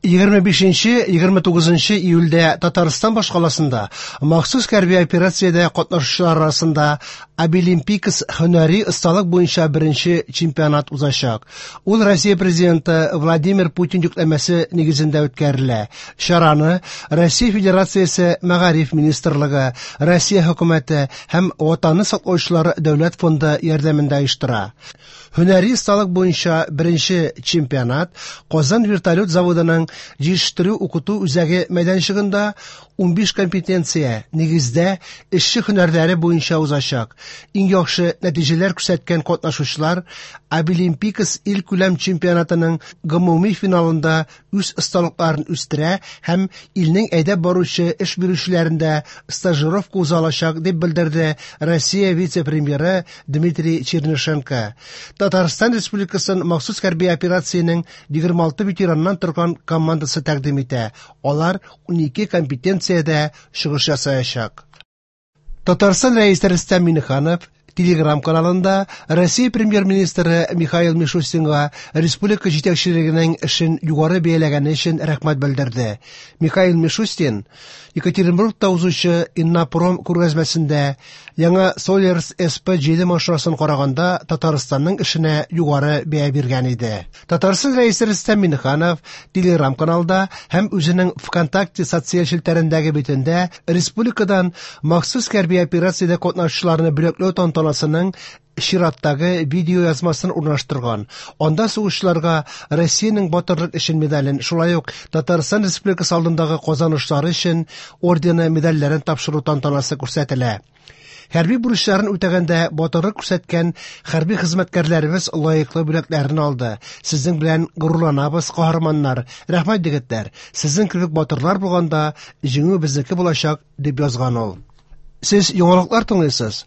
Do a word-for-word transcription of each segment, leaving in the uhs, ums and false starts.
Егерме бишенче, егерме тугызынчы июльдә Татарстан башкаласында махсус хәрби операциядә катнашучылар арасында Абилимпикс һөнәри осталык буенча беренче чемпионат узачак. Ул Россия президенты Владимир Путин йөкләмәсе нигезендә үткәрелә. Чараны Россия Федерациясе Мәгариф министрлыгы, Россия хөкүмәте һәм Ватанны саклаучылар дәүләт фонды ярдәмендә оештыра. Һөнәри осталык буенча беренче чемпионат Казан вертолет заводының җитештерү укыту үзәге мәйданчыгында унбиш компетенция нигездә эшче һөнәрләре буенча узачак. Иң яхшы нәтиҗәләр күрсәткән катнашучылар Абилимпикс ил күләм чемпионатының гомуми финалында үз осталыкларын үстерә һәм илнең әйдәп баручы эш бирүчеләрендә стажировка уза алачак, дип белдерде Россия вице-премьеры Дмитрий Чернышенко. Татарстан Республикасын махсус хәрби операциянең егерме алты ветераннан торган командасы тәкъдим итә. Алар унике компетенциядә чыгыш ясаячак. Татарстан Рәисе Рөстәм Миңнеханов Телеграм каналында Россия премьер-министры Михаил Мишустинга республика җитәкчелегенең эшен югары бәяләгәне өчен рәхмәт белдерде. Михаил Мишустин Екатеринбургта узучы Иннопром күргәзмәсендә яңа Соллерс эс пэ җиде машинасын караганда Татарстанның эшенә югары бәя биргән иде. Татарстан Рәисе Рөстәм Миңнеханов Телеграм каналда һәм үзенең ВКонтакте социаль челтәрендәге битендә республикадан махсус хәрби операциядә катнашучыларны бүләкләү тантанасының чираттагы видео язмасын урнаштырган. Анда сугышчыларга Россиянең батырлык өчен медален, шулай ук Татарстан Республикасы алдындагы казанышлары өчен ордены медальләрен тапшыру тантанасы күрсәтелә. Хәрби бурычларын үтәгәндә батырлык күрсәткән хәрби хезмәткәрләребез лаеклы бүләкләрен алды. Сезнең белән горурланабыз, каһарманнар. Рәхмәт, егетләр. Сезнең кебек батырлар булганда җиңү безнеке булачак, дип язган ул. Сез яңалыклар тыңлыйсыз.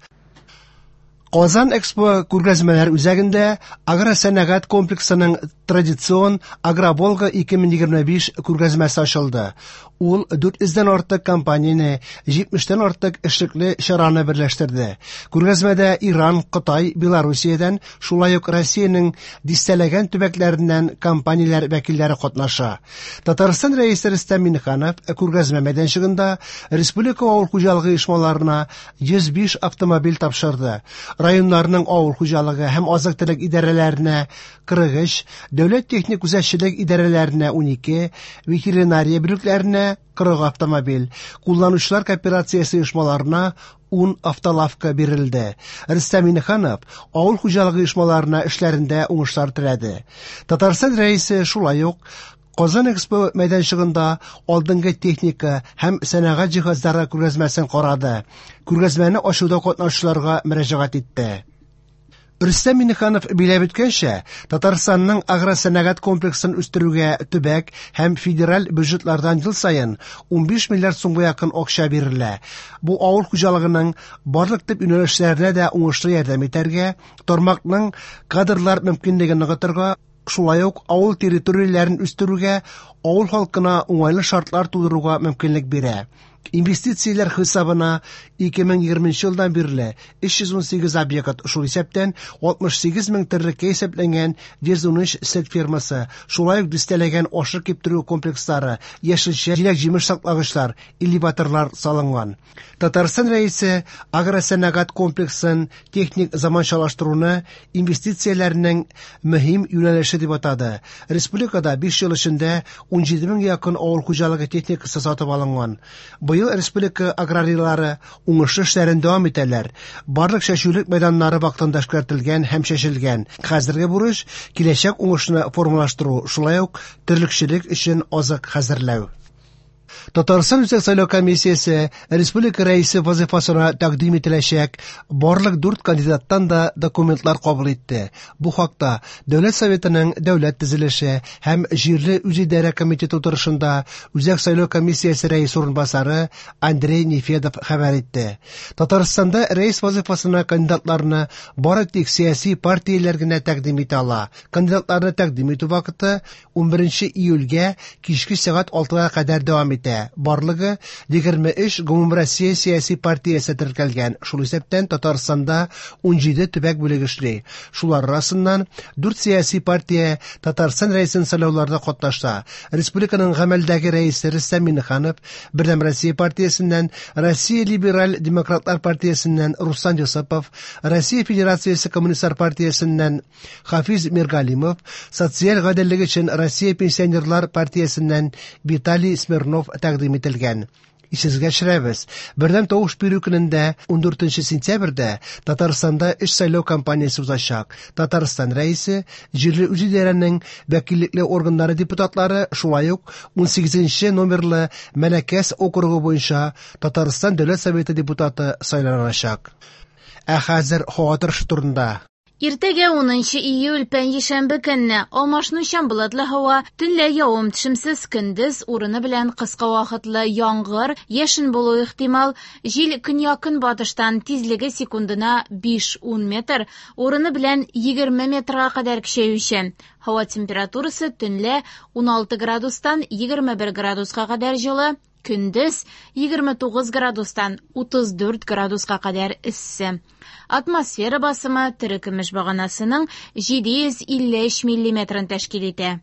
Казан Экспо күргәзмәләр үзәгендә агросәнәгать комплексының традицион Агроволга ике мең егерме биш күргәзмәсе ачылды. Ул дүрт йөздән артык компанияне, җитмештән артык эшлекле чараны берләштерде. Күргәзмәдә Иран, Кытай, Белоруссиядән, шулай ук Россиянең дистәләгән төбәкләреннән компанияләр вәкилләре катнаша. Татарстан Рәисе Рөстәм Миңнеханов күргәзмә мәйданчыгында республика авыл хуҗалыгы оешмаларына йөз биш автомобиль тапшырды. Районнарның авыл хуҗалыгы һәм азык-төлек идарәләренә кырык өч, дәүләт техник күзәтчелек идарәләренә унике, ветеринария бүлекләренә кырык автомобиль, кулланучылар кооперациясе оешмаларына ун автолавка бирелде. Рөстәм Миңнеханов авыл хуҗалыгы оешмаларына эшләрендә уңышлар теләде. Татарстан Рәисе шулай ук Казан Экспо мәйданчыгында алдынгы техника һәм сәнәгать җиһазлары күргәзмәсен карады. Күргәзмәне ачуда катнашучыларга мөрәҗәгать итте. Рөстәм Миңнеханов биләп үткәнчә, Татарстанның агросәнәгать комплексын үстерүгә төбәк һәм федераль бюджетлардан ел саен унбиш миллиард сумга якын акча бирелә. Бу авыл хуҗалыгының барлык төп юнәлешләренә дә уңышлы ярдәм итәргә, тармакның кадрлар мөмкинлеген ныгытырга, шулай ук авыл территорияләрен үстерүгә, авыл халкына уңайлы шартлар тудыруга мөмкинлек бирә. Инвестицияләр хисабына ике мең егерменче елдан бирле өч йөз ун сигез объект, шул исәптән алтмыш сигез мең терлеккә исәпләнгән йөз ун өч сөт фермасы, шулай ук дистәләгән ашык киптерү комплекслары, яшелчә, җиләк-җимеш саклагычлар, элеваторлар салынган. Татарстан Рәисе агросәнәгать комплексын техник заманчалаштыруны инвестицияләрнең мөһим юнәлеше дип атады. Республикада биш ел эчендә ун җиде мең якын авыл хуҗалыгы техникасы сатып алынган. Быел республика аграрийлары уңышлы эшләрен дәвам итәләр. Барлык чәчүлек мәйданнары вакытында эшкәртелгән һәм чәчелгән. Хәзерге бурыч киләчәк уңышны формалаштыру, шулай ук терлекчелек өчен азык хәзерләү. Татарстан Үзәк сайлау комиссиясе республика рәисе вазифасына тәкъдим ителәчәк барлык дүрт кандидаттан да документлар кабул итте. Бу хакта Дәүләт Советының Дәүләт төзелеше һәм җирле үзидарә комитеты утырышында Үзәк сайлау комиссиясе рәисе урынбасары Андрей Нефедов хәбәр итте. Татарстанда рәис вазифасына кандидатларны бары тик сәяси партияләр генә тәкъдим итә ала. Кандидатларны тәкъдим итү вакыты унберенче июльгә кичке сәгать алтыга кадәр дәвам итә. итә. Барлыгы егерме өч гомумроссия сәяси партиясе теркәлгән, шул исәптән Татарстанда унҗиде төбәк бүлеге эшли. Шулар арасыннан дүрт сәяси партия Татарстан рәисен сайлауларда катнаша. Республиканың гамәлдәге рәисе Рөстәм Миңнеханов, Бердәм Россия партиясеннән, Россия Либераль Демократлар партиясеннән Руслан Йосыпов, Россия Федерациясе Коммунистлар партиясеннән Хафиз Миргалимов, Социаль гаделлек өчен Россия Пенсионерлар партиясеннән Виталий Смирнов тәкъдим ителгән. Исегезгә төшерәбез, бердәм тавыш бирү көнендә ундүртенче сентябрьдә Татарстанда өч сайлау кампаниясе узачак. Татарстан рәисе, җирле үзидарәнең вәкиллекле органнары депутатлары, шулай ук унсигезенче номерлы Мәләкәс округы буенча Татарстан Дәүләт Советы депутаты сайланачак. Ә хәзер һава торышы турында. Иртәгә унынчы июль пәнҗешәмбе көнне алмашынучан болытлы һава, төнлә явым төшемсез, көндез урыны белән кыска вакытлы яңгыр, яшен булу ихтимал, җил көньяк-көнбатыштан тизлеге секундына биш-ун метр, урыны белән егерме метрга кадәр көчәючән. Һава температурасы төнлә уналты градустан егерме бер градуска кадәр җылы, көндез егерме тугыз градустан утыз дүрт градуска кадәр эссе. Атмосфера басымы терекөмеш баганасының җиде йөз илле өч миллиметрын тәшкил итә.